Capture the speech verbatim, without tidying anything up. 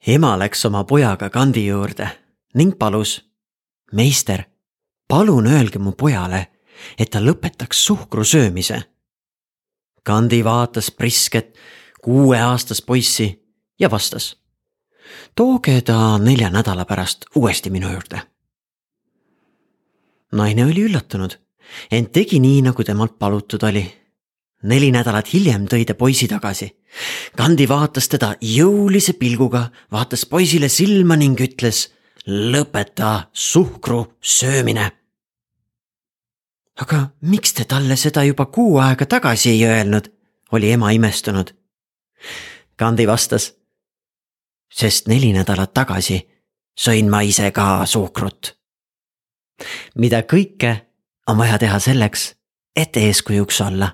Ema läks oma pojaga Kandi juurde ning palus: meister, palun öelge mu pojale, et ta lõpetaks suhkru söömise. Kandi vaatas prisket kuueaastast poissi ja vastas: tooge ta nelja nädala pärast uuesti minu juurde. Naine oli üllatunud, ent tegi nii, nagu temalt palutud oli. Neli nädalat hiljem tõi ta poisi tagasi. Kandi vaatas teda jõulise pilguga, vaatas poisile silma ning ütles: lõpeta suhkru söömine. Aga miks te talle seda juba kuu aega tagasi ei öelnud, oli ema imestunud. Kandi vastas: sest neli nädalat tagasi sõin ma ise ka suhkrut. Mida kõike on vaja teha selleks, et eeskujuks olla.